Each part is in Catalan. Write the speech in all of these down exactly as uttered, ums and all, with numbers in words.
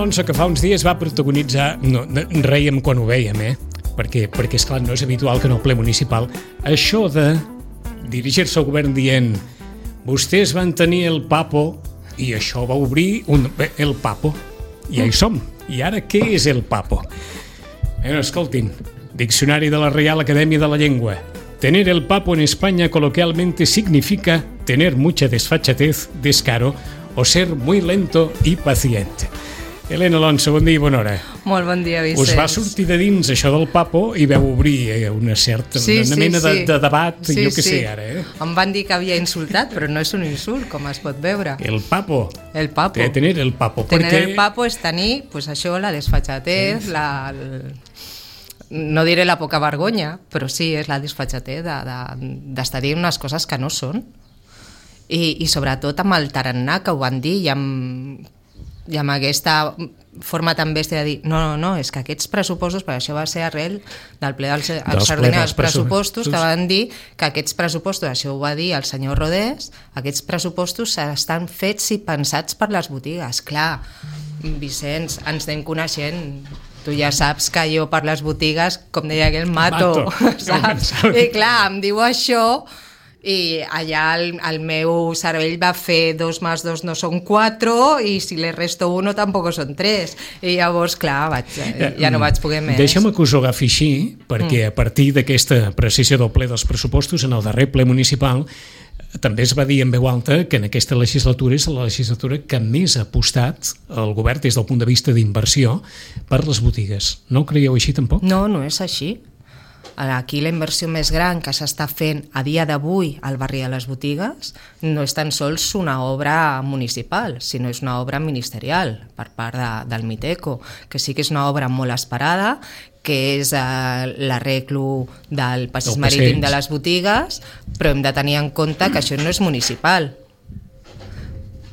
Alonso, que fa uns dies va protagonitzar... No, reiem quan ho veiem, eh? Perquè, perquè esclar, no és habitual que en el ple municipal això de dirigir-se al govern dient vostès van tenir el papo i això va obrir un, el papo. I ja hi som. I ara què és el papo? Bueno, escoltin, Diccionari de la Real Academia de la Lengua. Tener el papo en España coloquialmente significa tener mucha desfachatez, descaro o ser muy lento y paciente. Helena Alonso, bon dia i bona hora. Molt bon dia, Vicenç. Us va sortir de dins això del papo i vau obrir una certa sí, una sí, mena sí. De, de debat, sí, jo què sí. sé ara. Eh? Em van dir que havia insultat, però no és un insult, com es pot veure. El papo. El papo. De tener el papo. Tener perquè... el papo és tenir, pues això, la desfachatez, la... El... no diré la poca vergonya, però sí, és la desfachatez d'estar de, de, dient unes coses que no són. I, i sobretot amb el tarannà que ho van dir i amb, i amb aquesta forma tan bèstia de dir no, no, no, és que aquests pressupostos, perquè això va ser arrel del ple dels, dels extraordinaris pressupostos, que van dir que aquests pressupostos, això ho va dir el senyor Rodés, aquests pressupostos estan fets i pensats per les botigues. Clar, Vicenç, ens anem coneixent. Tu ja saps que jo per les botigues, com deia aquell, mato, mato. Saps? I clar, em diu això i allà el, el meu cervell va fer dos més dos no són quatre i si le resto uno tampoc són tres i llavors clar, vaig, ja no vaig poder més. Deixa'm que us ho agafi així perquè a partir d'aquesta precisió del ple dels pressupostos en el darrer ple municipal també es va dir en veu alta que en aquesta legislatura és la legislatura que més ha apostat el govern des del punt de vista d'inversió per les botigues. No ho creieu així tampoc? No, no és així. Aquí la inversió més gran que s'està fent a dia d'avui al barri de les botigues no és tan sols una obra municipal, sinó és una obra ministerial per part de, del Miteco, que sí que és una obra molt esperada, que és eh, l'arreglo del passeig marítim de les botigues, però hem de tenir en compte que això no és municipal.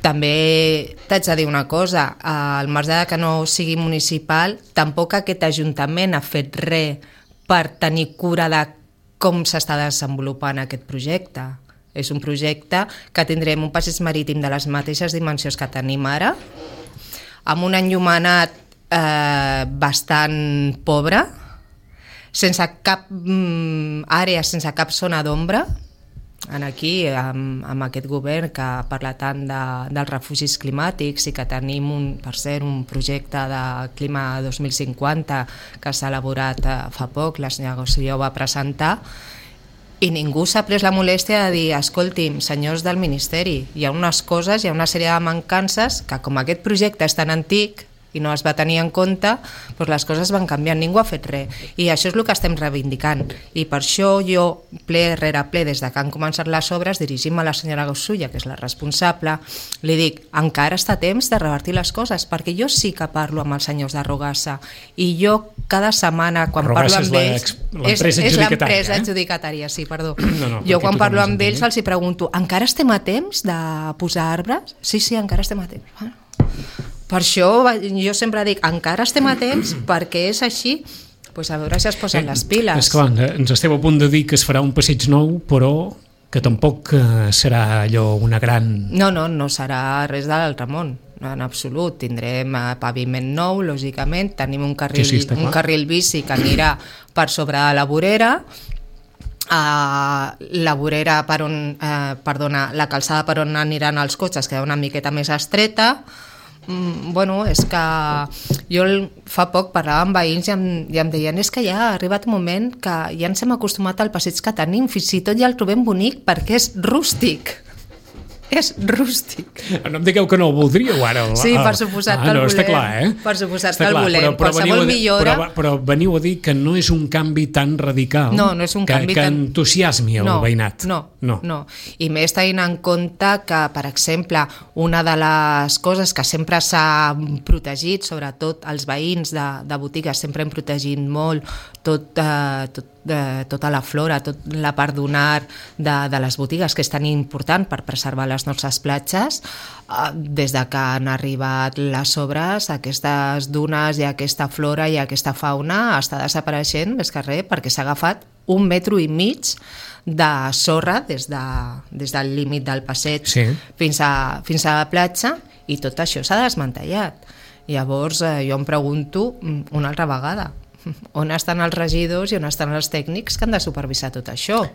També t'haig de dir una cosa, al marge de que no sigui municipal, tampoc aquest ajuntament ha fet res per tenir cura de com s'està desenvolupant aquest projecte. És un projecte que tindrem un passeig marítim de les mateixes dimensions que tenim ara, amb un enllumenat eh, bastant pobre, sense cap mm, àrea, sense cap zona d'ombra, en aquí, amb, amb aquest govern que parla tant de, dels refugis climàtics i que tenim, un, per cert, un projecte de Clima dos mil cinquanta que s'ha elaborat eh, fa poc, la senyora Gosselló va presentar, i ningú s'ha pres la molèstia de dir escolti'm, senyors del Ministeri, hi ha unes coses, hi ha una sèrie de mancances que com aquest projecte és tan antic i no es va tenir en compte, doncs les coses van canviant, ningú ha fet res. I això és el que estem reivindicant. I per això jo, ple rere ple, des de que han començat les obres, dirigim a la senyora Gossulla, que és la responsable, li dic, encara està temps de revertir les coses, perquè jo sí que parlo amb els senyors de Rogassa, i jo cada setmana, quan Rogassa parlo amb ells... És, és, és l'empresa eh? adjudicatària, sí, perdó. No, no, jo quan parlo amb ells els hi pregunto, encara estem a temps de posar arbres? Sí, sí, encara estem a temps. Bueno, per això jo sempre dic, encara estem a temps, perquè és així, doncs a veure si es posen les piles. Esclar, ens esteu a punt de dir que es farà un passeig nou, però que tampoc serà allò una gran... No, no, no serà res de l'altre món, en absolut. Tindrem paviment nou, lògicament, tenim un carril, sí, sí, un carril bici que anirà per sobre de la vorera, Uh, la vorera per on, uh, perdona, la calçada per on aniran els cotxes queda una miqueta més estreta. Mm, bueno, és que jo fa poc parlava amb veïns i em, i em deien és que ja ha arribat un moment que ja ens hem acostumat al passeig que tenim, fins i tot ja el trobem bonic perquè és rústic. És rústic. No em digueu que no ho voldríeu ara. Sí, per suposat ah, que el no, volem. Està clar, eh? Per suposat està que el clar, volem. Però, però Qualsevol millora... Però, però veniu a dir que no és un canvi tan radical no, no és un que, canvi que tan... entusiasmi el no, veïnat. No, no, no. I més tenint en compte que, per exemple, una de les coses que sempre s'ha protegit, sobretot els veïns de, de botigues, sempre hem protegit molt tot, eh, tot de tota la flora, tota la part dunar de, de les botigues, que és tan important per preservar les nostres platges. Des de que han arribat les obres, aquestes dunes i aquesta flora i aquesta fauna està desapareixent més que res, perquè s'ha agafat un metro i mig de sorra des, de, des del límit del passeig, sí, fins a, fins a la platja, i tot això s'ha desmantellat. Llavors eh, jo em pregunto una altra vegada, on estan els regidors i on estan els tècnics que han de supervisar tot això?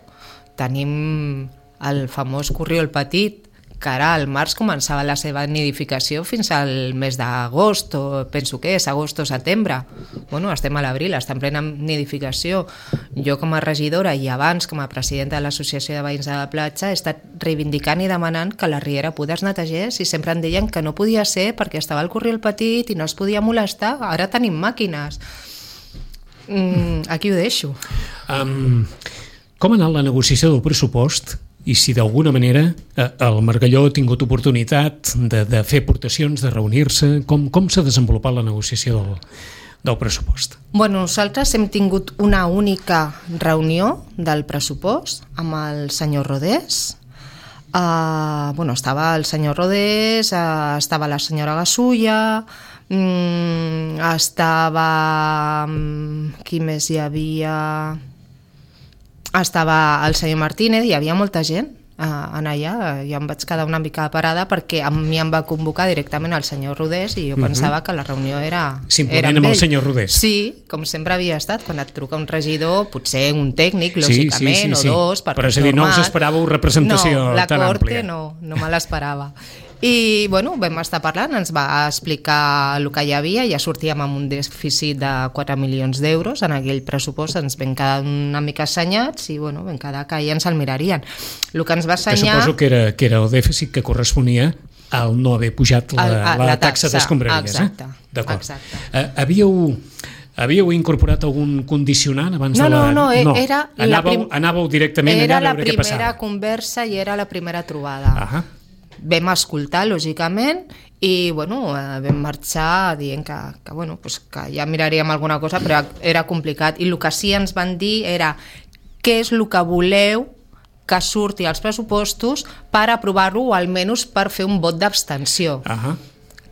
Tenim el famós corriol petit, que ara al març començava la seva nidificació fins al mes d'agost, o penso que és agost o setembre. Bueno, estem a l'abril, està en plena nidificació. Jo com a regidora i abans com a presidenta de l'Associació de Veïns de la Platja he estat reivindicant i demanant que la riera poder es netegés i sempre em deien que no podia ser perquè estava el corriol petit i no es podia molestar. Ara tenim màquines. Mm, aquí ho deixo. Um, com ha anat la negociació del pressupost? I si d'alguna manera el Margalló ha tingut oportunitat de, de fer aportacions, de reunir-se, com, com s'ha desenvolupat la negociació del, del pressupost? Bueno, nosaltres hem tingut una única reunió del pressupost amb el senyor Rodés. Uh, bueno, estava el senyor Rodés, uh, estava la senyora Gasulla, um, estava... Um, qui més hi havia... Estava el senyor Martínez, hi havia molta gent eh, en allà, jo em vaig quedar una mica parada perquè a mi em va convocar directament el senyor Rodés i jo uh-huh. pensava que la reunió era, era amb, amb ell. el senyor Rodés. Sí, com sempre havia estat, quan et truca un regidor, potser un tècnic, lògicament, sí, sí, sí, sí. o dos, per però és a dir, no us esperàveu representació no, tan àmplia. No, no me l'esperava. I bueno, vam estar parlant, ens va explicar el que hi havia, ja sortíem amb un dèficit de quatre milions d'euros, en aquell pressupost ens vam quedar una mica assenyats i bueno, vam quedar que ja ens el mirarien. El que ens va assenyar... Que suposo que era, que era el dèficit que corresponia al no haver pujat la, el, la, la taxa, taxa d'escombraries. Exacte, eh? D'acord. exacte. Uh, havíeu... Havíeu incorporat algun condicionant abans no, de la... No, no, no. Era anàveu, prim... anàveu directament era allà a veure què passava. Era la primera conversa i era la primera trobada. Ahà. Vam escoltar, lògicament, i bueno, vam marxar dient que, que, bueno, pues que ja miraríem alguna cosa, però era complicat. I el que sí ens van dir era què és el que voleu que surti als pressupostos per aprovar-lo o almenys per fer un vot d'abstenció. Uh-huh.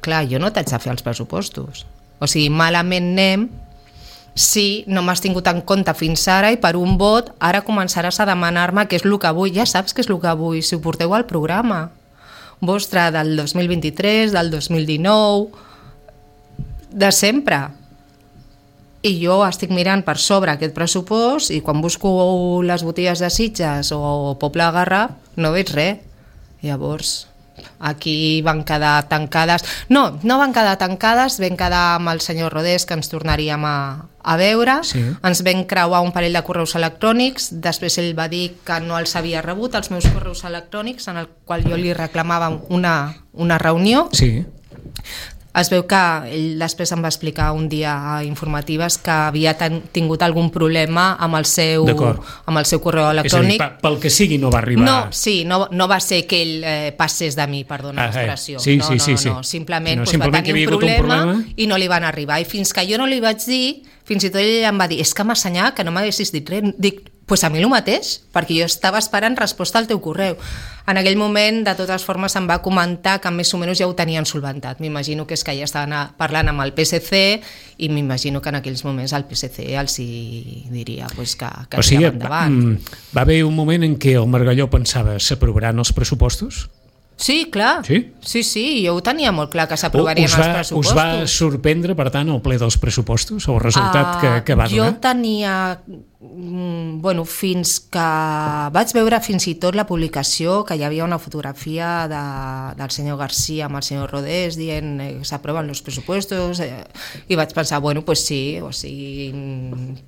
Clar, jo no t'haig de fer els pressupostos. O sigui, malament anem si no m'has tingut en compte fins ara i per un vot ara començaràs a demanar-me què és el que vull. Ja saps què és el que vull, si ho porteu al programa vostre del dos mil vint-i-tres, del dos mil dinou, de sempre. I jo estic mirant per sobre aquest pressupost i quan busco les botigues de Sitges o Poble de Garraf no veig res. Llavors, aquí van quedar tancades... No, no van quedar tancades, vam quedar amb el senyor Rodés que ens tornaríem a, a veure, sí. Ens vam creuar un parell de correus electrònics, després ell va dir que no els havia rebut, els meus correus electrònics, en el qual jo li reclamava una, una reunió. Sí. Es veu que ell després em va explicar un dia a informatives que havia ten, tingut algun problema amb el seu, amb el seu correu electrònic. És a dir, pel que sigui no va arribar... No, sí, no, no va ser que ell eh, passés de mi, perdona ah, l'expressió. Sí, no, sí, no, sí, no, sí. no, simplement, no, pues, simplement va tenir un problema, un problema i no li van arribar. I fins que jo no li vaig dir, fins i tot ell em va dir, és que m'ha assenyat que no m'haguessis dit res. Dic, pues a mi el mateix, perquè jo estava esperant resposta al teu correu. En aquell moment, de totes formes, em va comentar que més o menys ja ho tenien solventat. M'imagino que és que ja estaven parlant amb el P S C i m'imagino que en aquells moments el P S C els hi diria pues, que, que o sigui, endavant. Va, va haver un moment en què el Margalló pensava s'aprovaran els pressupostos? Sí, clar. Sí? Sí, sí, jo ho tenia molt clar que s'aprovarien els pressupostos. Us va sorprendre, per tant, el ple dels pressupostos, el resultat uh, que, que va donar? Jo tenia... Bueno, fins que vaig veure fins i tot la publicació que hi havia una fotografia de, del senyor García amb el senyor Rodés dient que eh, s'aproven els pressupostos eh, i vaig pensar, bueno, pues sí, o sigui,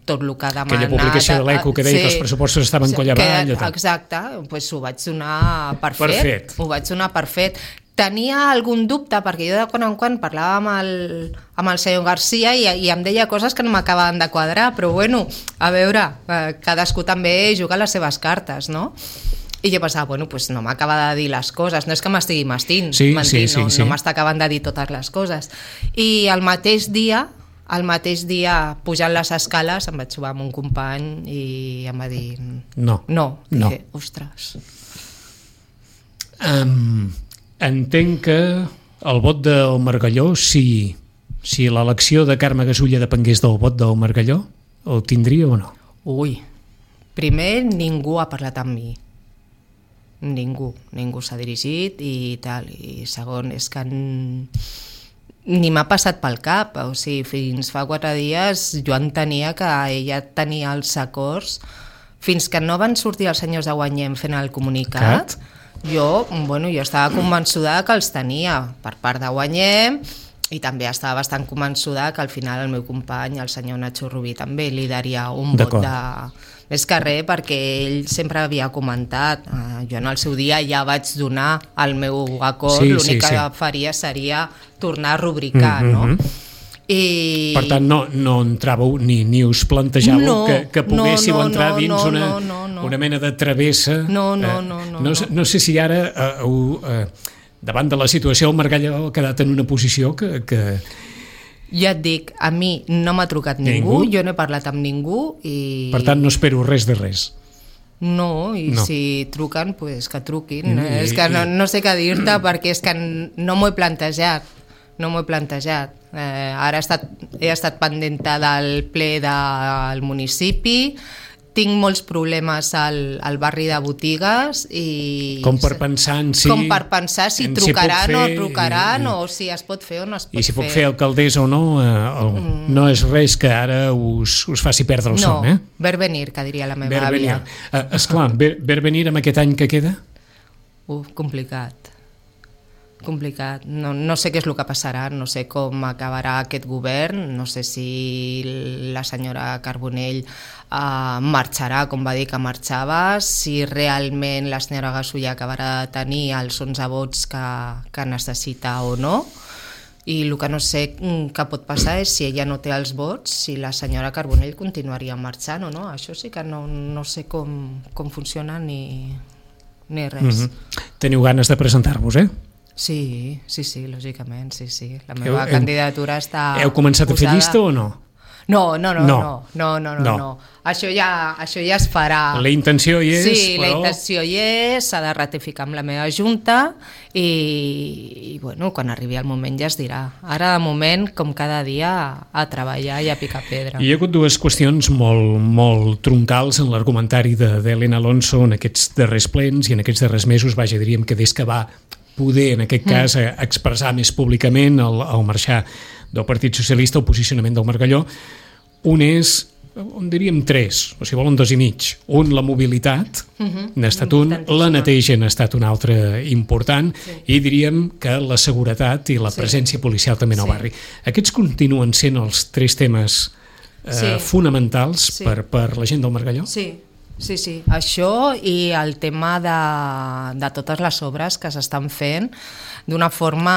tot el que ha demanat... Aquella publicació de l'Eco que deia sí, que els pressupostos estaven coll avall. Que, exacte, pues ho vaig donar per, per fet, fet. Ho vaig donar per fet. Tenia algun dubte, perquè jo de quan en quan parlava amb el, amb el senyor García i, i em deia coses que no m'acabaven de quadrar, però bueno, a veure, eh, cadascú també juga les seves cartes, no? I jo pensava, bueno, pues no m'acaba de dir les coses, no és que m'estigui mastint, sí, mentint, sí, sí, no, sí. no m'està acabant de dir totes les coses. I el mateix dia, el mateix dia, pujant les escales, em vaig trobar amb un company i em va dir... No. No. no. Dije, ostres. Um... Entenc que el vot del Margalló, si, si l'elecció de Carme Gasulla depengués del vot del Margalló, el tindria o no? Ui, primer ningú ha parlat amb mi. Ningú, ningú s'ha dirigit i tal. I segon, és que ni m'ha passat pel cap, o sigui, fins fa quatre dies jo entenia que ella tenia els acords, fins que no van sortir els senyors de Guanyem fent el comunicat, jo, bueno, jo estava convençuda que els tenia per part de Guanyem, i també estava bastant convençuda que al final el meu company, el senyor Nacho Rubí, també li daria un vot de... Més que res, perquè ell sempre havia comentat, eh, jo en el seu dia ja vaig donar el meu acord, sí, l'únic sí, que sí. faria seria tornar a rubricar, mm-hmm. no? I... Per tant, no, no entràveu ni, ni us plantejàveu no, que, que poguéssiu no, no, entrar dins no, una, no, no, no. una mena de travessa. No, no, no. Eh, no, no, no. no sé si ara, eh, eh, davant de la situació, el Margall ha quedat en una posició que... que... Ja et dic, a mi no m'ha trucat ningú, ningú, jo no he parlat amb ningú i... Per tant, no espero res de res. No, i no. si truquen, pues que truquin. I, és que no, no sé què dir-te perquè és que no m'ho he plantejat. No m'ho he plantejat. Eh, ara he estat, he estat pendenta del ple del municipi, tinc molts problemes al, al barri de botigues i... Com per pensar en si... Com per pensar si trucaran si o trucaran i, o si es pot fer o no es pot fer. I si puc fer alcaldessa o no, eh, el, mm. no és res que ara us, us faci perdre el no, son, eh? No, ver venir, que diria la meva ver àvia. Uh, esclar, ver, ver venir amb aquest any que queda? Uh, complicat. complicat. No, no sé què és el que passarà, no sé com acabarà aquest govern, no sé si la senyora Carbonell eh, marxarà, com va dir que marxava, si realment la senyora Gasulla acabarà de tenir els onze vots que, que necessita o no, i el que no sé que pot passar és si ella no té els vots, si la senyora Carbonell continuaria marxant o no. Això sí que no, no sé com, com funciona ni, ni res. Mm-hmm. Teniu ganes de presentar-vos, eh? Sí, sí, sí, lògicament, sí, sí. La meva heu, candidatura està Heu començat posada... a fer llista o no? No, no, no, no, no, no, no, no. no. Això, ja, això ja es farà. La intenció hi és, sí, però... la intenció hi és, s'ha de ratificar amb la meva junta i, i bueno, quan arribi el moment ja es dirà. Ara, de moment, com cada dia, a treballar i a picar pedra. Hi ha hagut dues qüestions molt, molt troncals en l'argumentari d'Helena Alonso en aquests darrers plens i en aquests darrers mesos, vaja, diríem que des que va poder, en aquest cas, mm. expressar més públicament al, al marxar del Partit Socialista, el posicionament del Margalló. Un és, on diríem tres, o si volen dos i mig. Un, la mobilitat, mm-hmm. n'ha estat un, la neteja n'ha estat un altre important, sí. i diríem que la seguretat i la sí. presència policial també en el sí. barri. Aquests continuen sent els tres temes eh, sí. fonamentals sí. per, per la gent del Margalló? Sí. Sí, sí, això i el tema de, de totes les obres que s'estan fent d'una forma,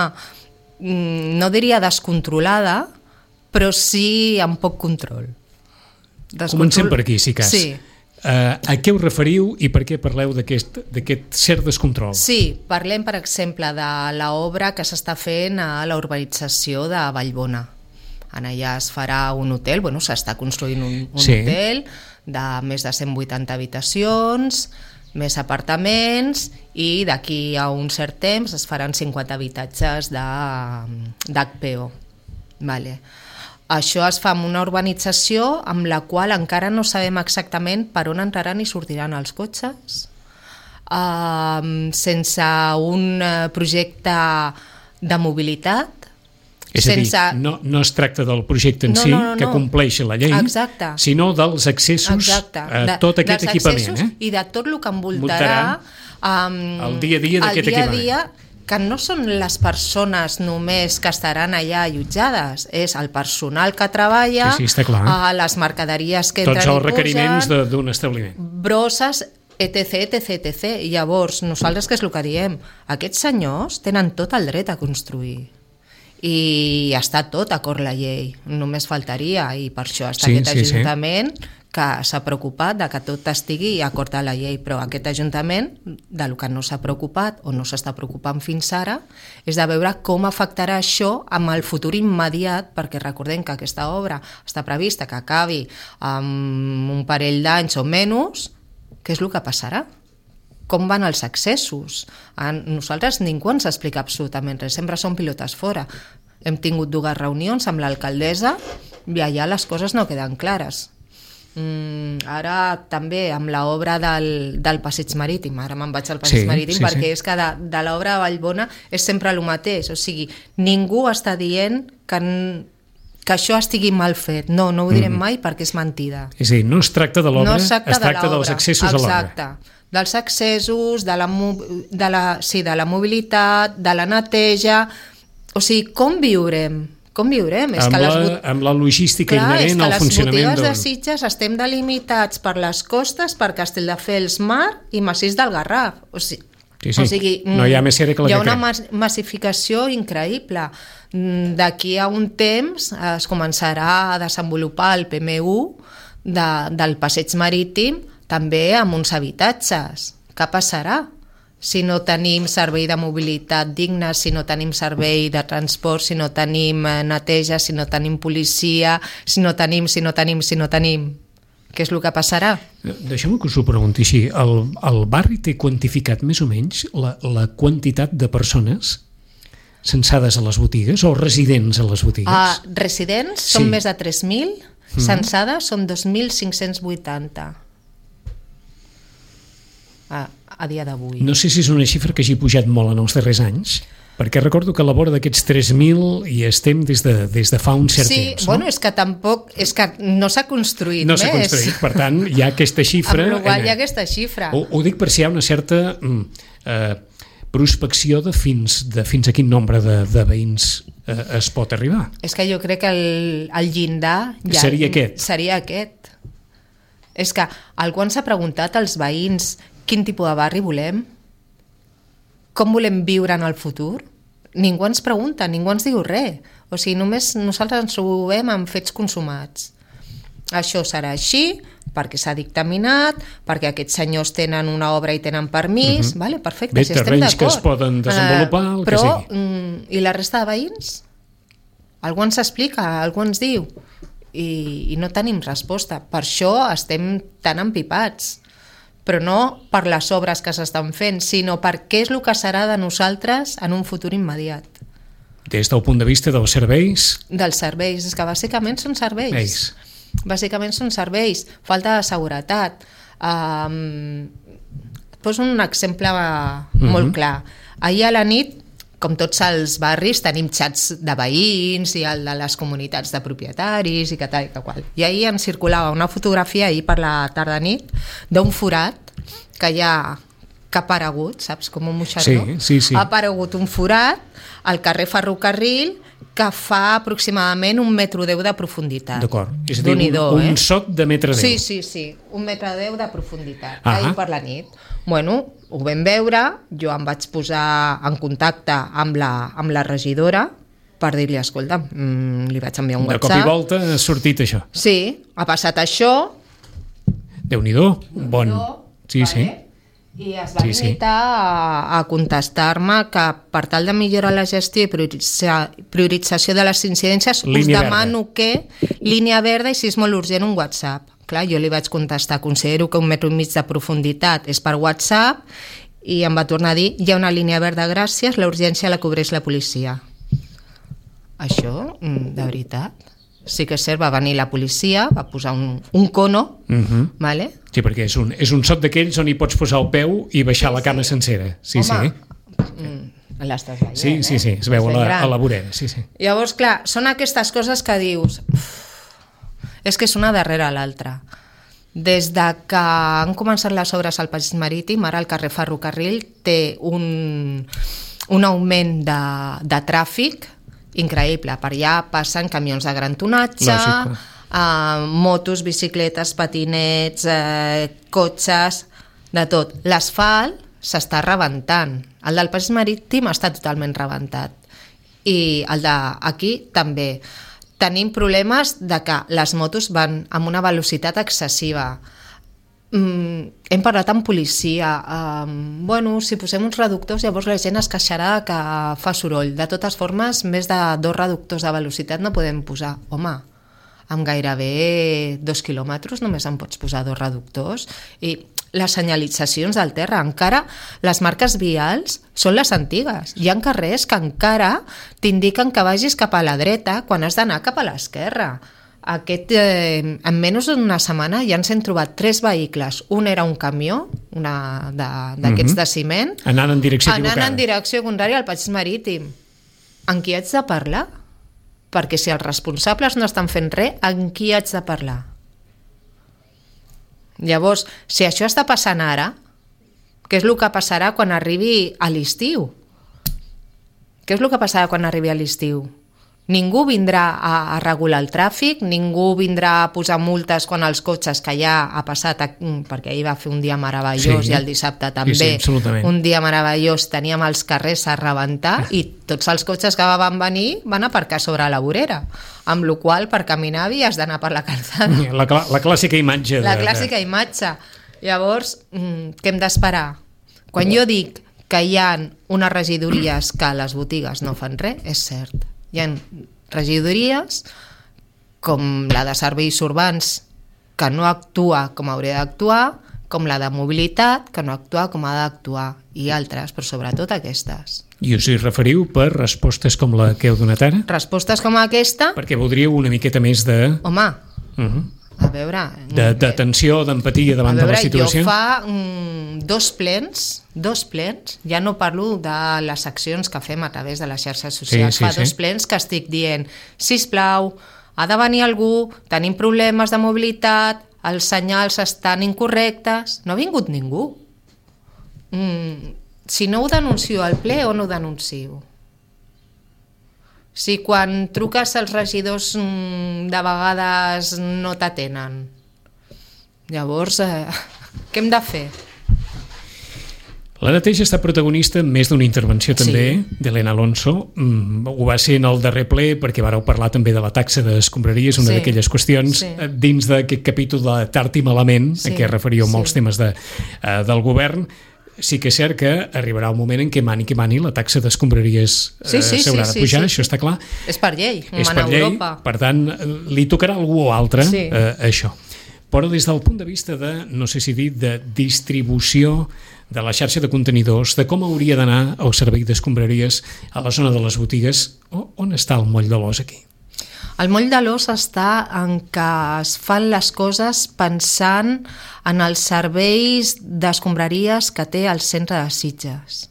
no diria descontrolada, però sí amb poc control. Descontrol... Comencem per aquí, si cas. Sí. Uh, a què us referiu i per què parleu d'aquest cert descontrol? Sí, parlem, per exemple, de l'obra que s'està fent a la urbanització de Vallbona. Allà es farà un hotel, bueno, s'està construint un, un sí. hotel de més de cent vuitanta habitacions, més apartaments, i d'aquí a un cert temps es faran cinquanta habitatges d'H P O. Vale. Això es fa en una urbanització amb la qual encara no sabem exactament per on entraran i sortiran els cotxes, uh, sense un projecte de mobilitat. És a dir, sense... no, no es tracta del projecte en no, si, no, no, que no. compleixi la llei, Exacte. sinó dels accessos Exacte. a tot de, aquest equipament. Eh? I de tot el que envoltarà um, el dia a dia d'aquest equipament. Dia, que no són les persones només que estaran allà allotjades, és el personal que treballa, sí, sí, està clar. a les mercaderies que entren i pugen, tots els requeriments d'un establiment. Brosses, etc, etc, etc. I llavors, nosaltres què és el que diem? Aquests senyors tenen tot el dret a construir. I està tot acord la llei, només faltaria, i per això està sí, aquest sí, Ajuntament sí. que s'ha preocupat de que tot estigui acord a la llei, però aquest Ajuntament, del que no s'ha preocupat o no s'està preocupant fins ara, és de veure com afectarà això amb el futur immediat, perquè recordem que aquesta obra està prevista que acabi amb un parell d'anys o menys. Què és el que passarà? Com van els accessos? A nosaltres ningú ens explica absolutament res, sempre són pilotes fora. Hem tingut dues reunions amb l'alcaldessa i allà les coses no queden clares. Mm, ara també amb l'obra del, del Passeig Marítim, ara me'n vaig al Passeig Sí, Marítim sí, perquè sí. és que de, de l'obra de Vallbona és sempre el mateix, o sigui, ningú està dient que, n- que això estigui mal fet, no, no ho direm Mhm. mai perquè és mentida. És a dir, no es tracta de l'obra, No es tracta, es tracta de dels l'obra. accessos a l'obra. Exacte. Dels accessos, de la, mo- de, la, sí, de la mobilitat, de la neteja... O sigui, com viurem? Com viurem? És Amb, que les la, bot- amb la logística Clar, és inherent que al les funcionament botigues de del... Sitges estem delimitats per les costes, per Castelldefels Mar i Massís del Garraf. O sigui, Sí, sí. o sigui, No hi ha més cera que la hi ha que una crema. mas massificació increïble. Mm, D'aquí a un temps es començarà a desenvolupar el P M U de, del passeig marítim també amb uns habitatges. Què passarà? Si no tenim servei de mobilitat digne, si no tenim servei de transport, si no tenim eh, neteja, si no tenim policia, si no tenim, si no tenim, si no tenim... Què és el que passarà? Deixeu-me que us ho pregunti així. El, el barri té quantificat més o menys la, la quantitat de persones censades a les botigues o residents a les botigues? Uh, residents Sí. són més de tres mil, Mhm. censades són dos mil cinc-cents vuitanta a, a dia d'avui. No sé si és una xifra que hagi pujat molt en els darrers anys, perquè recordo que a la vora d'aquests tres mil hi estem des de, des de fa un cert sí, temps. bueno, no? és que tampoc, és que no s'ha construït No més. s'ha construït, per tant, hi ha aquesta xifra... Amb la qual eh, hi ha aquesta xifra. Ho, ho dic per si hi ha una certa mm, eh, prospecció de fins, de fins a quin nombre de, de veïns eh, es pot arribar. És que jo crec que el, el llindar... Ja, Seria aquest. Seria aquest. És que algú ens ha preguntat als veïns quin tipus de barri volem, com volem viure en el futur. Ningú ens pregunta, ningú ens diu res. O sigui, només nosaltres ens trobem amb fets consumats. Això serà així, perquè s'ha dictaminat, perquè aquests senyors tenen una obra i tenen permís, Mhm. vale, perfecte, Bé, si estem terrenys que d'acord. es poden desenvolupar, el que però, sigui. mm, i la resta de veïns? Algú ens explica, algú ens diu, i, i no tenim resposta. Per això estem tan empipats, però no per les obres que s'estan fent, sinó per què és el que serà de nosaltres en un futur immediat. Des del punt de vista dels serveis, Dels serveis, és que bàsicament són serveis. Ells. Bàsicament són serveis, falta de seguretat. Um, poso un exemple Mhm. molt clar. Ahir a la nit, com tots els barris, tenim xats de veïns i el de les comunitats de propietaris i que tal i que qual. I ahir em circulava una fotografia, ahir per la tarda-nit, d'un forat que hi ha que ha aparegut, saps, com un moixardó. Sí, sí, sí. Ha aparegut un forat al carrer Ferrocarril que fa aproximadament un metre deu de profunditat. d'acord, és a dir, un, Déu-n'hi-do, un eh? soc de metre deu. Sí, sí, sí, un metre deu de profunditat, Ah. ahir per la nit. Bueno, ho vam veure, jo em vaig posar en contacte amb la, amb la regidora per dir-li, escolta, mm, li vaig enviar un De WhatsApp. cop i volta ha sortit això. Sí, ha passat això. Déu-n'hi-do, bon... Sí, sí. I es va Sí, sí. limitar a, a contestar-me que per tal de millorar la gestió i prioritza, priorització de les incidències Línia us demano que línia verda i si és molt urgent un WhatsApp. Clar, jo li vaig contestar, considero que un metre i mig de profunditat és per WhatsApp i em va tornar a dir, hi ha una línia verda, gràcies, la urgència la cobreix la policia. Això, mm, de veritat, sí que és cert, va venir la policia, va posar un, un cono, Mhm. vale? Sí, perquè és un, és un soc d'aquells on hi pots posar el peu i baixar la cama sencera. Sí, Home, sí. mm, l'estàs veient, Sí, sí, eh? sí, es veu a Estàs la, gran. a la vorera, sí, sí. Llavors, clar, són aquestes coses que dius... Uf, és que és una darrere l'altra. Des de que han començat les obres al Passeig Marítim, ara el carrer Ferrocarril té un, un augment de, de tràfic increïble. Per allà passen camions de gran tonatge, Lògic, eh, motos, bicicletes, patinets, eh, cotxes, de tot. L'asfalt s'està rebentant. El del Passeig Marítim està totalment rebentat. I el d'aquí també. Tenim problemes de que les motos van amb una velocitat excessiva. Mm, hem parlat amb policia. Um, bueno, si posem uns reductors, llavors la gent es queixarà que fa soroll. De totes formes, més de dos reductors de velocitat no podem posar. Home, amb gairebé dos quilòmetres només en pots posar dos reductors. I les senyalitzacions del terra, encara les marques vials són les antigues. Hi ha carrers que encara t'indiquen que vagis cap a la dreta quan has d'anar cap a l'esquerra. aquest, eh, en menys d'una setmana ja ens hem trobat tres vehicles. Un era un camió, una d'aquests de, de ciment, anant en direcció anant equivocada. en direcció contrària al passeig marítim. En qui haig de parlar? Perquè si els responsables no estan fent res, en qui haig de parlar? Llavors, si això està passant ara, què és el que passarà quan arribi a l'estiu? Què és el que passarà quan arribi a l'estiu? Ningú vindrà a, a regular el tràfic, ningú vindrà a posar multes quan els cotxes, que ja ha passat, a, perquè ahir va fer un dia meravellós, sí, i el dissabte també, sí, sí, un dia meravellós, teníem els carrers a rebentar i tots els cotxes que van venir van aparcar sobre la vorera, amb la qual per caminar havies d'anar per la calçada. La, la clàssica imatge. De, la clàssica de... imatge. Llavors, què hem d'esperar? Quan jo dic que hi ha unes regidories que les botigues no fan res, és cert. Hi ha regidories com la de serveis urbans que no actua com hauria d'actuar, com la de mobilitat que no actua com ha d'actuar, i altres, però sobretot aquestes. I us hi referiu per respostes com la que heu donat ara? Respostes com aquesta? Perquè voldríeu una miqueta més de... Home, uh-huh. a veure... D'atenció, d'empatia davant veure, de la situació? Jo fa mm, dos plens, dos plens, ja no parlo de les accions que fem a través de les xarxes socials, sí, sí, fa sí. dos plens que estic dient, sisplau, ha de venir algú, tenim problemes de mobilitat, els senyals estan incorrectes, no ha vingut ningú. Mm, si no ho denuncio al ple, on ho denuncio? Si quan truques als regidors de vegades no t'atenen, llavors eh, què hem de fer? La neteja està protagonista en més d'una intervenció també, sí, d'Helena Alonso. Mm, ho va ser en el darrer ple perquè vareu parlar també de la taxa d'escombraries, una sí, d'aquelles qüestions sí, dins d'aquest capítol de Tard i Malament, sí, en què referíeu sí, molts temes de, uh, del govern. Sí que és cert que arribarà un moment en què mani que mani la taxa d'escombraries eh, sí, sí, s'haurà sí, de pujar, sí, sí, això sí. està clar. És per llei, és mana per llei, Europa. Per tant, li tocarà a algú o altre sí, eh, això. Però des del punt de vista de, no sé si dir, de distribució de la xarxa de contenidors, de com hauria d'anar el servei d'escombraries a la zona de les botigues, on està el moll de l'os aquí? El moll de l'os està en que es fan les coses pensant en els serveis d'escombraries que té el centre de Sitges.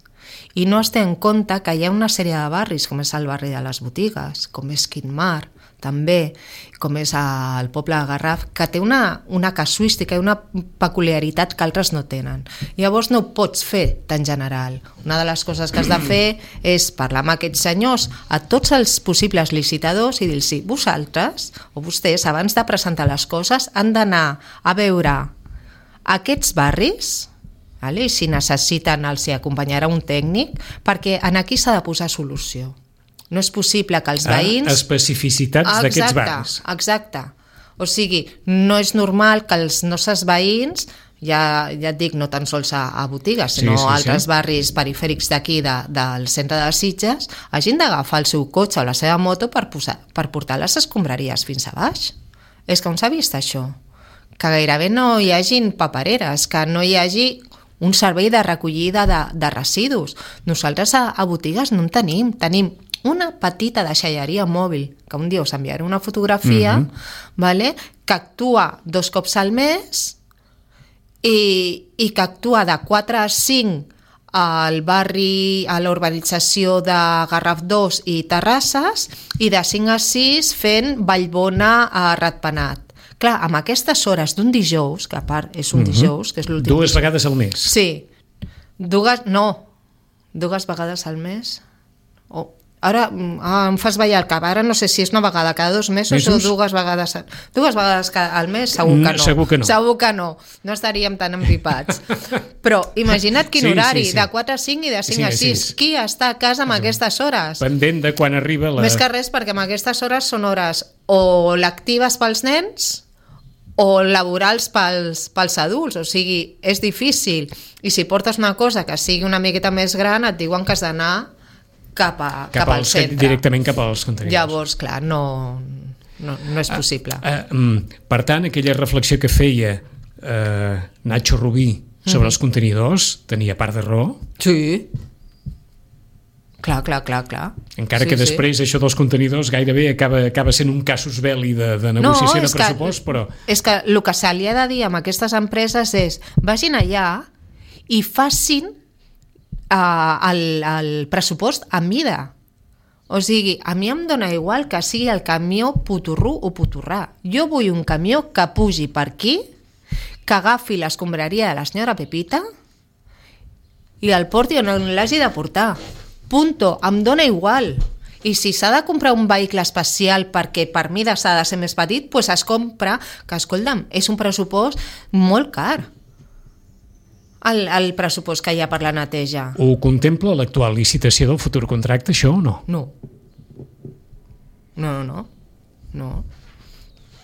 I no es té en compte que hi ha una sèrie de barris, com és el barri de les botigues, com és Quintmar, també, com és el poble de Garraf, que té una, una casuística i una peculiaritat que altres no tenen. Llavors no ho pots fer tan general. Una de les coses que has de fer és parlar amb aquests senyors, a tots els possibles licitadors, i dir-los, vosaltres o vostès, abans de presentar les coses, han d'anar a veure aquests barris, vale? I si necessiten els hi acompanyarà un tècnic, perquè en aquí s'ha de posar solució. No és possible que els veïns... Ah, especificitats ah, d'aquests barris. Exacte. O sigui, no és normal que els nostres veïns, ja, ja et dic, no tan sols a, a botigues, sinó sí, sí, altres sí. barris perifèrics d'aquí, de, del centre de Sitges, hagin d'agafar el seu cotxe o la seva moto per, posar, per portar les escombraries fins a baix. És que on s'ha vist això? Que gairebé no hi hagin papereres, que no hi hagi un servei de recollida de, de residus. Nosaltres a, a botigues no en tenim, tenim una petita deixalleria mòbil, que un dia us enviaré una fotografia, mm-hmm. vale? Que actua dos cops al mes i, i que actua de quatre a cinc al barri, a la urbanització de Garraf dos i Terrasses, i de cinc a sis fent Vallbona a Ratpenat. Clar, amb aquestes hores d'un dijous, que a part és un mm-hmm. dijous, que és l'últim... Dues dijous. Vegades al mes. Sí. Dues, no. Dues vegades al mes. Oh. Ara ah, em fas ballar el cap. Ara no sé si és una vegada cada dos mesos, mesos? o dues vegades dues vegades al mes, segur que no. Segur que no. Segur que no. No estaríem tan empipats. Però imagina't quin sí, horari, sí, sí. de quatre a cinc i de cinc a sis. Qui està a casa amb sí. aquestes hores? Pendent de quan arriba la... Més que res, perquè amb aquestes hores són hores o lectives pels nens o laborals pels, pels adults, o sigui, és difícil. I si portes una cosa que sigui una miqueta més gran, et diuen que has d'anar cap, a, cap, cap al als, centre. Directament cap als contenidors. Llavors, clar, no, no, no és possible. Uh, uh, per tant, aquella reflexió que feia uh, Nacho Rubí sobre mm. els contenidors tenia part de raó? Sí. Clar, clar, clar, clar. Encara sí, que després sí. això dels contenidors gairebé acaba, acaba sent un casus belli de, de negociació no, de pressupost, que, però... És que el que se li ha de dir amb aquestes empreses és vagin allà i facin uh, el, el pressupost a mida. O sigui, a mi em dóna igual que sigui el camió puturrú o puturrà. Jo vull un camió que pugi per aquí, que agafi l'escombraria de la senyora Pepita i el porti on l'hagi de portar. Punto, em dóna igual. I si s'ha de comprar un vehicle especial perquè per mida s'ha de ser més petit, doncs es compra, que escolta'm, és un pressupost molt car. El, el pressupost que hi ha per la neteja. Ho contempla l'actual licitació del futur contracte, això o no? No. No, no, no. no.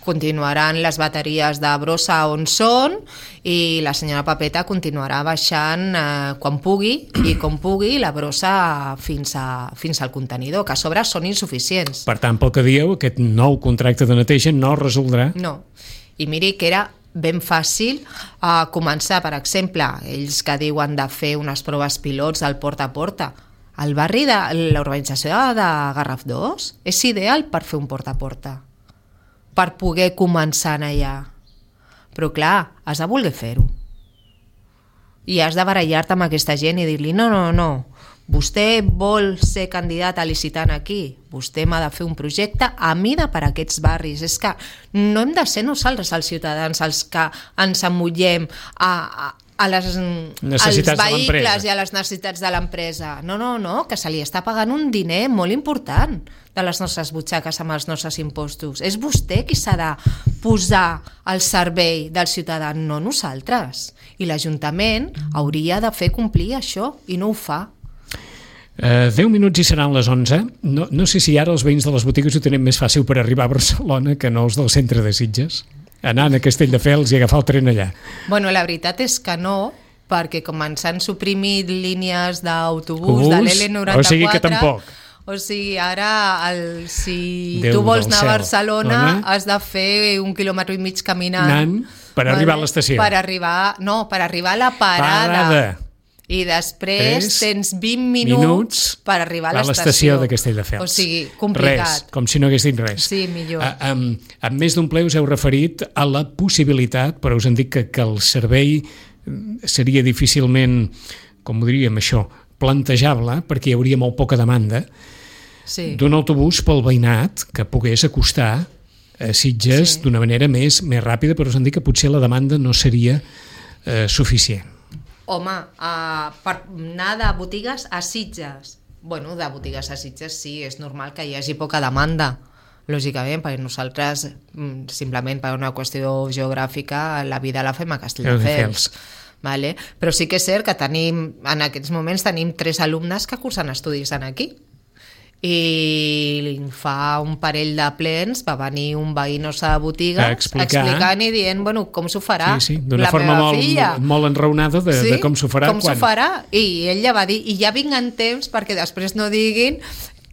Continuaran les bateries de brossa on són i la senyora Pepeta continuarà baixant eh, quan pugui i com pugui la brossa fins, a, fins al contenidor, que a sobre són insuficients. Per tant, pel que dieu, aquest nou contracte de neteja no resoldrà. No. I miri que era ben fàcil eh, començar, per exemple, ells que diuen de fer unes proves pilots al porta a porta. El barri de l'urbanització de Garraf dos és ideal per fer un porta a porta, per poder començar allà. Però clar, has de voler fer-ho. I has de barallar-te amb aquesta gent i dir-li no, no, no, vostè vol ser candidat a licitant aquí, vostè m'ha de fer un projecte a mida per a aquests barris. És que no hem de ser nosaltres els ciutadans els que ens emmullem a, a, a les, als vehicles i a les necessitats de l'empresa. No, no, no, que se li està pagant un diner molt important de les nostres butxaques amb els nostres impostos. És vostè qui s'ha de posar al servei del ciutadà, no nosaltres. I l'Ajuntament hauria de fer complir això i no ho fa. Uh, deu minuts i seran les onze. No, no sé si ara els veïns de les botigues ho tenen més fàcil per arribar a Barcelona que no els del centre de Sitges. Anant a Castelldefels i agafar el tren allà. Bueno, la veritat és que no, perquè com ens han suprimit línies d'autobús de l'L noranta-quatre... O sigui que tampoc. O sigui, ara, el, si Déu tu vols anar cel. a Barcelona, Dona. Has de fer un quilòmetre i mig caminant. Anant per vale? Arribar a l'estació. Per arribar, no, per arribar a la parada. Parada. I després Tres tens vint minuts, minuts per arribar a l'estació. A l'estació de Castelldefels. O sigui, complicat. Res, com si no hagués dit res. Sí, millor. A, amb, amb més d'un ple us heu referit a la possibilitat, però us han dit que, que el servei seria difícilment, com ho diríem això, plantejable, perquè hi hauria molt poca demanda, sí. d'un autobús pel veïnat que pogués acostar a Sitges sí. d'una manera més, més ràpida, però us han dit que potser la demanda no seria eh, suficient. Home, uh, per anar de botigues a Sitges. Bueno, de botigues a Sitges sí, és normal que hi hagi poca demanda, lògicament, perquè nosaltres, simplement per una qüestió geogràfica, la vida la fem a Castelldefels. Vale? Però sí que és cert que tenim, en aquests moments tenim tres alumnes que cursen estudis aquí. I fa un parell de plens va venir un veí nostre de botigues explicar. explicant i dient, bueno, com s'ho farà sí, sí, d'una la forma meva molt, filla. molt enraonada de, sí? de com s'ho farà. Com quan... s'ho farà, i ell ja va dir, i ja vinc en temps perquè després no diguin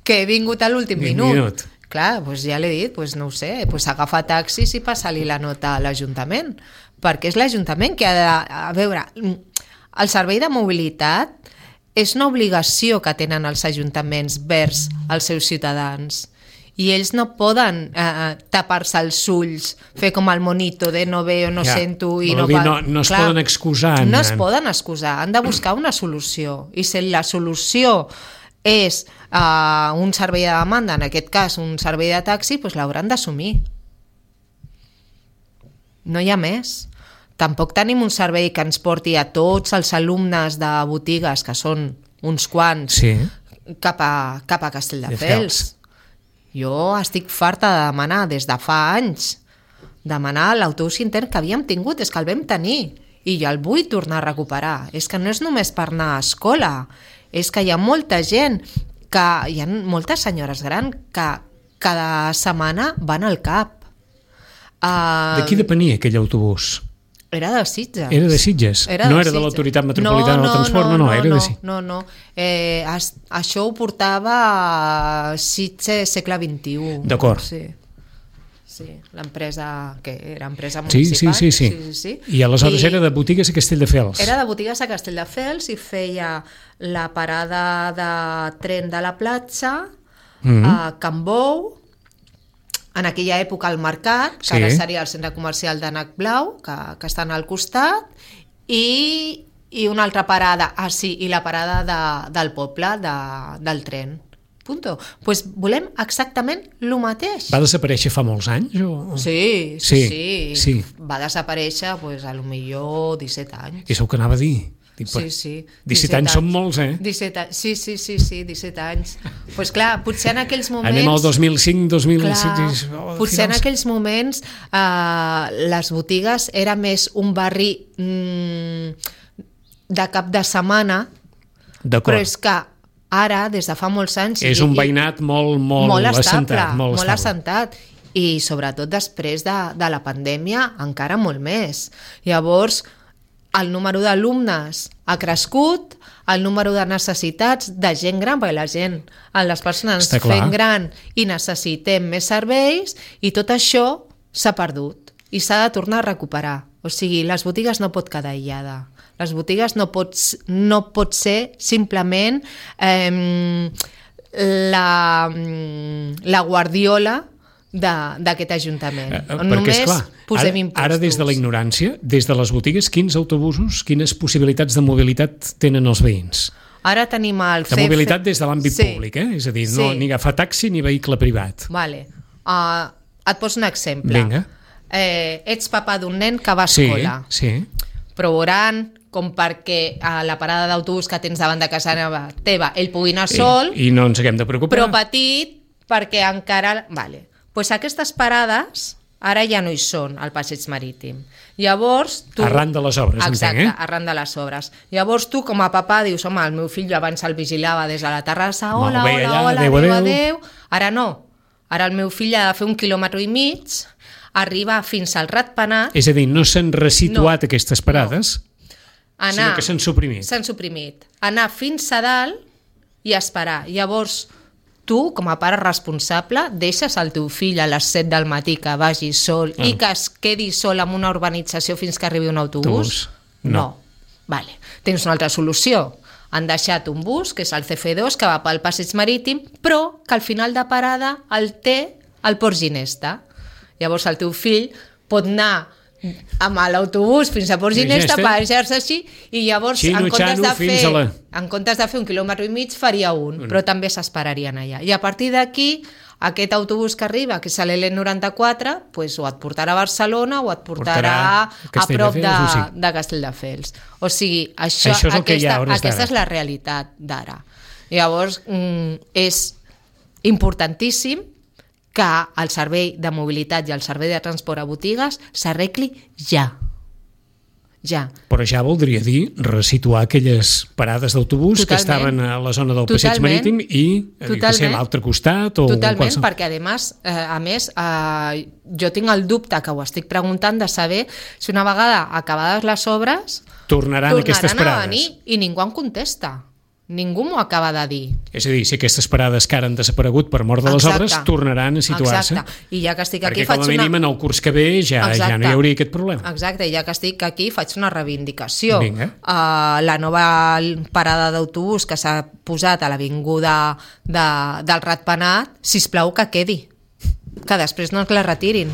que he vingut a l'últim minut. minut. Clar, doncs ja l'he dit, doncs no ho sé, doncs agafa taxis i passa-li la nota a l'Ajuntament, perquè és l'Ajuntament que ha de... A veure, el servei de mobilitat és una obligació que tenen els ajuntaments vers els seus ciutadans i ells no poden eh, tapar-se els ulls, fer com el monito de no veo, no ja, sento i no... Dir, no, no es Clar, poden excusar. No es poden excusar, han de buscar una solució i si la solució és eh, un servei de demanda, en aquest cas un servei de taxi, doncs l'hauran d'assumir. No hi ha més. Tampoc tenim un servei que ens porti a tots els alumnes de botigues, que són uns quants, sí. cap, a, cap a Castelldefels. Jo estic farta de demanar des de fa anys, demanar l'autobús intern que havíem tingut, és que el vam tenir, i jo el vull tornar a recuperar. És que no és només per anar a escola, és que hi ha molta gent, que hi ha moltes senyores grans que cada setmana van al cap. Uh, de qui depenia aquell autobús? Era de Sitges. Era de Sitges? Era no de era Sitges. de l'Autoritat Metropolitana no, no, del Transport? No, no, no, era no, de Sitges. No, no, eh, es, això ho portava a Sitges segle vint-i-u. D'acord. Sí. sí, l'empresa, que era empresa Sí, municipal. sí, sí, sí. sí, sí, sí. I aleshores I era de botigues a Castelldefels. Era de botigues a Castelldefels i feia la parada de tren de la platja, Mhm. a Can Bou, en aquella època al Mercat, que Sí. ara seria el centre comercial de Nac Blau, que, que estan al costat, i, i una altra parada, ah sí, i la parada de, del poble, de, del tren. Punto. Pues volem exactament el mateix. Va desaparèixer fa molts anys? O... Sí, sí, Sí, sí, sí. Va desaparèixer, pues, a lo millor disset anys. És el que anava a dir. Sí, sí. disset anys són molts, eh? disset anys. Sí, sí, sí, sí, disset anys. Doncs pues clar, potser en aquells moments... Anem al dos mil cinc, dos mil sis... Clar, Oh, potser en finals. aquells moments eh, les botigues era més un barri mm, de cap de setmana, D'acord. però és que ara, des de fa molts anys... És i- un i- veïnat molt, molt, molt estable, assentat. Molt, molt estable. assentat. I sobretot després de, de la pandèmia encara molt més. Llavors, el número d'alumnes ha crescut, el número de necessitats de gent gran, perquè la gent, les persones Està clar. fent gran i necessitem més serveis, i tot això s'ha perdut i s'ha de tornar a recuperar. O sigui, les botigues no pot quedar aïllada. Les botigues no pot, no pot ser simplement eh, la, la guardiola d'aquest Ajuntament. Eh, On perquè, només esclar, posem ara, impostos. ara des de la ignorància, des de les botigues, quins autobusos, quines possibilitats de mobilitat tenen els veïns? Ara tenim el De mobilitat des de l'àmbit Sí. públic, eh? És a dir, no, Sí. ni agafar taxi ni vehicle privat. Vale. Uh, et poso un exemple. Vinga. Eh, ets papa d'un nen que va a Sí, escola. sí. Però veuran com perquè a la parada d'autobús que tens davant de casa teva ell pugui anar sol, I, I no ens haguem de preocupar. però petit perquè encara... Vale. Pues aquestes parades ara ja no hi són al passeig marítim. Llavors, tu... Arran de les obres, Exacte, entenc, eh? arran de les obres. Llavors tu, com a papà, dius, home, el meu fill jo abans el vigilava des de la terrassa, Molt hola, bé, hola, allà, hola, adéu, adéu, adéu. adéu. Ara no. Ara el meu fill ha de fer un quilòmetre i mig, arribar fins al Ratpenat, És a dir, no s'han resituat No. aquestes parades, anar... sinó que s'han suprimit. S'han suprimit. Anar fins a dalt i esperar. Llavors, tu, com a pare responsable, deixes el teu fill a les set del matí que vagi sol Ah. i que es quedi sol en una urbanització fins que arribi un autobús? Autobús. No. Vale. Tens una altra solució. Han deixat un bus, que és el C F dos, que va pel passeig marítim, però que al final de parada el té al Port Ginesta. Llavors el teu fill pot anar amb l'autobús fins a Port Ginesta, Ginesta. passejar-se així, i llavors Xino, en comptes, xano, de fins fer, a la- en comptes de fer un quilòmetre i mig faria un, però també s'esperarien allà. I a partir d'aquí, aquest autobús que arriba, que és l'L noranta-quatre, pues, o et portarà a Barcelona o et portarà, Portarà a a prop de, Castelldefels, o sí. de Castelldefels. O sigui, això, Això és el que hi ha a aquesta, hores aquesta d'ara. és la realitat d'ara. Llavors, mm, és importantíssim que el servei de mobilitat i el servei de transport a botigues s'arregli ja. Ja. Però ja voldria dir resituar aquelles parades d'autobús que Totalment. estaven a la zona del passeig Totalment. marítim i a dir, que sé, a l'altre costat o Totalment, qualsevol... perquè a més, eh, a més eh, jo tinc el dubte, que ho estic preguntant, de saber si una vegada acabades les obres tornaran, aquestes tornaran a parades. venir, i ningú em contesta. Ningú m'ho acaba de dir. És a dir, si aquestes parades que ara han desaparegut per mort de les Exacte. obres tornaran a situar-se. Exacte. I ja que estic aquí Perquè com faig a mínim una... en el curs que ve ja, ja no hi hauria aquest problema. Exacte, i ja que estic aquí faig una reivindicació. Vinga. Uh, la nova parada d'autobús que s'ha posat a l'avinguda de, del Ratpenat, sisplau que quedi, que després no ens la retirin,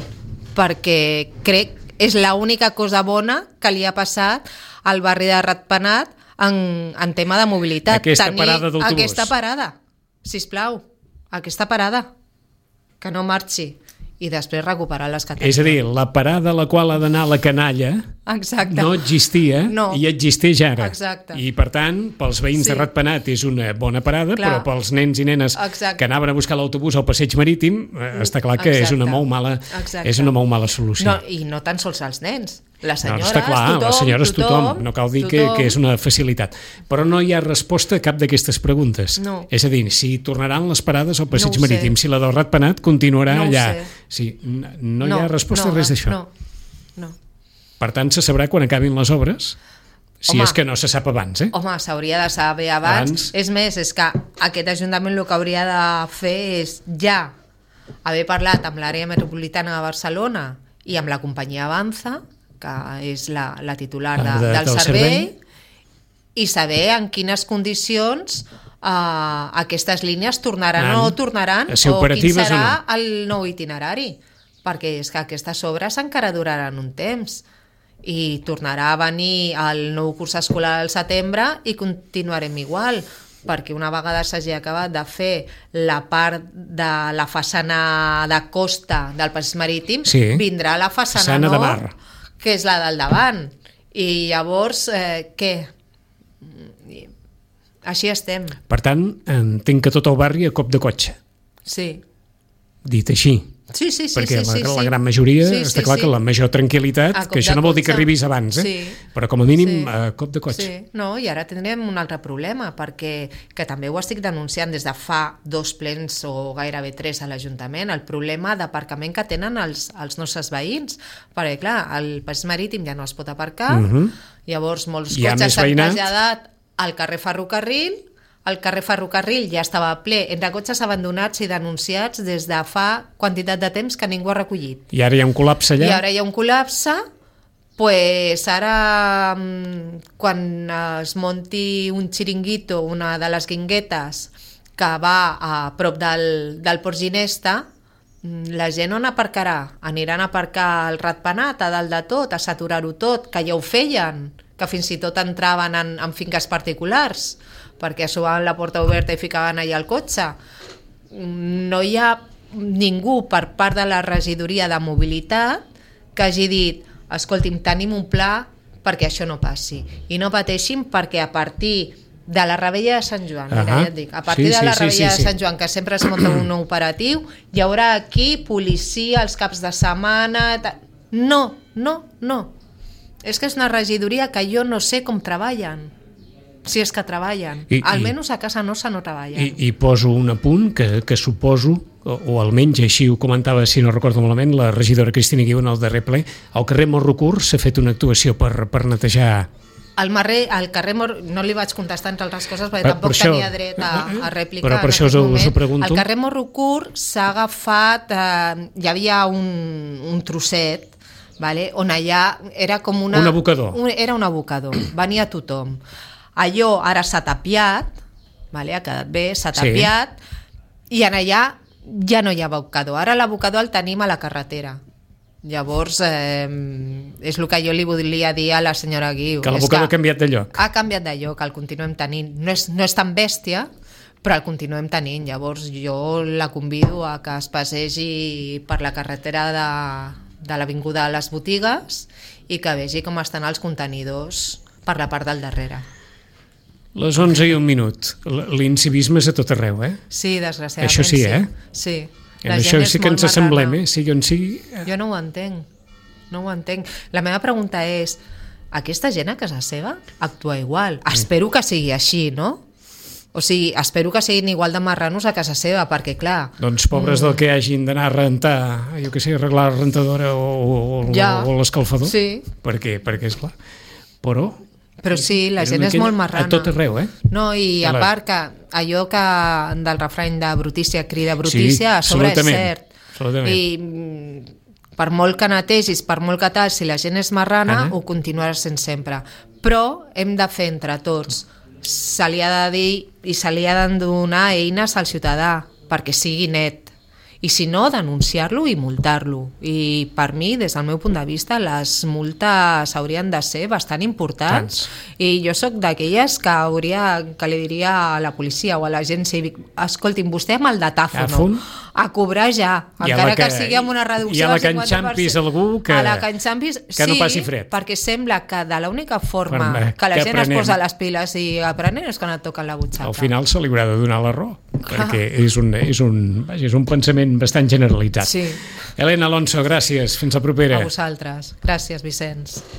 perquè crec és l'única cosa bona que li ha passat al barri de Ratpenat en, en tema de mobilitat. Aquesta parada d'autobús. Aquesta parada, sisplau, aquesta parada, que no marxi, i després recuperar les que tenim. És a dir, la parada a la qual ha d'anar la canalla Exacte. no existia No. i existeix ara. Exacte. I per tant, pels veïns Sí. de Ratpenat és una bona parada, Clar. però pels nens i nenes Exacte. que anaven a buscar l'autobús al passeig marítim, eh, està clar que és Exacte. una molt mala, Exacte. és una molt mala solució. No, i no tan sols els nens, les No, senyores, està clar, tothom, les senyores tothom, tothom, no cal dir tothom. que, que és una facilitat. Però no hi ha resposta a cap d'aquestes preguntes. No. És a dir, si tornaran les parades al passeig No ho sé. marítim, si la del Ratpenat continuarà No ho allà. sé. Sí, no, no, hi ha resposta no, a res d'això. No, no. Per tant, se sabrà quan acabin les obres, si Home. és que no se sap abans, eh? Home, s'hauria de saber abans. Abans. És més, és que aquest Ajuntament el que hauria de fer és ja haver parlat amb l'àrea metropolitana de Barcelona i amb la companyia Avanza, que és la, la titular de, de, del, del servei, servei, i saber en quines condicions uh, aquestes línies tornaran An, o no tornaran, si o quin serà no. el nou itinerari, perquè és que aquestes obres encara duraran un temps i tornarà a venir el nou curs escolar al setembre i continuarem igual, perquè una vegada s'hagi acabat de fer la part de la façana de costa del passeig marítim, sí, vindrà la façana, façana nord, de mar, que és la del davant. I llavors, eh, què? Així estem. Per tant, entenc que tot el barri a cop de cotxe. Sí. Dit així. Sí, sí, sí. Perquè sí, la, sí, la sí. gran majoria, sí, està sí, clar sí. que la major tranquil·litat, que això no vol dir que arribis abans, eh? Sí. Però com a mínim sí. a cop de cotxe. Sí. No, i ara tindrem un altre problema, perquè que també ho estic denunciant des de fa dos plens o gairebé tres a l'Ajuntament, el problema d'aparcament que tenen els, els nostres veïns, perquè clar, el passeig marítim ja no es pot aparcar, uh -huh. llavors molts cotxes s'han traslladat al carrer Ferrocarril. El carrer Ferrocarril ja estava ple entre cotxes abandonats i denunciats des de fa quantitat de temps que ningú ha recollit. I ara hi ha un col·lapse allà? I ara hi ha un col·lapse, pues ara quan es monti un xiringuito, una de les guinguetes que va a prop del, del Port Ginesta, la gent on aparcarà? Aniran a aparcar el ratpenat a dalt de tot, a saturar-ho tot, que ja ho feien, que fins i tot entraven en, en finques particulars, perquè assobaven la porta oberta i ficaven allà el cotxe. No hi ha ningú per part de la regidoria de mobilitat que hagi dit, escolti'm, tenim un pla perquè això no passi. I no pateixin perquè a partir de la Rebella de Sant Joan, mira, ja et dic, a partir sí, de la sí, Rebella sí, sí, de Sant Joan, que sempre es munta un nou operatiu, hi haurà aquí policia els caps de setmana... No, no, no. És que és una regidoria que jo no sé com treballen. Si és que treballen. I, almenys a casa nostra no treballen. I, i poso un apunt que, que suposo, o, o almenys així ho comentava, si no recordo malament, la regidora Cristina Guiu en el darrer ple, al carrer Morrocur s'ha fet una actuació per, per netejar... Al, marrer, al carrer Mor... no li vaig contestar entre altres coses perquè per, tampoc per això, tenia dret a, a rèplica. Però per això us ho pregunto. Al carrer Morrocur s'ha agafat... Eh, hi havia un, un trosset, vale, on allà era com una... Un abocador. Un, era un abocador, venia tothom. Allò ara s'ha tapiat, vale, ha quedat bé, s'ha tapiat, sí. I en allà ja no hi ha abocador. Ara l'abocador el tenim a la carretera. Llavors, eh, és el que jo li volia dir a la senyora Guiu. Que l'abocador ha canviat de lloc. Ha canviat de lloc, el continuem tenint. No és, no és tan bèstia, però el continuem tenint. Llavors jo la convido a que es passegi per la carretera de, de l'Avinguda de les Botigues i que vegi com estan els contenidors per la part del darrere. Les onze i un minut. L'incivisme és a tot arreu, eh? Sí, desgraciadament. Això sí, eh? Sí. En això sí que ens assemblem, eh? Sí, on sí... Jo no ho entenc. No ho entenc. La meva pregunta és, aquesta gent a casa seva actua igual? Mm. Espero que sigui així, no? O sigui, espero que siguin igual de marranos a casa seva, perquè clar... Doncs pobres mm. del que hagin d'anar a rentar, jo què sé, arreglar la rentadora o, o, ja. o l'escalfador. Sí. Perquè, perquè és clar. Però... Però sí, la gent és molt marrana. A tot arreu, eh? No, i a part que allò que del refrany de brutícia crida brutícia, sí, a sobre és cert. Absolutament. I per molt que netegis, per molt que tal, si la gent és marrana, Anna? Ho continuarà sent sempre. Però hem de fer entre tots. Se li ha de dir i se li ha de donar eines al ciutadà perquè sigui net. I si no, denunciar-lo i multar-lo. I per mi, des del meu punt de vista, les multes haurien de ser bastant importants. Tants. I jo sóc d'aquelles que hauria, que li diria a la policia o a l'agent cívic, escolti'm, vostè amb el datàfono, a cobrar ja, encara que, que sigui amb una reducció del cinquanta per cent. I a la que enxampis algú que, a la que, enxampis, que sí, no passi fred. Perquè sembla que de l'única forma per, que la que gent aprenem. es posa les piles i aprenent és quan et toquen la butxaca. Al final se li haurà de donar la raó, perquè és un, és un, vaja, és un pensament bastant generalitzat. Sí. Helena Alonso, gràcies. Fins la propera. A vosaltres. Gràcies, Vicenç.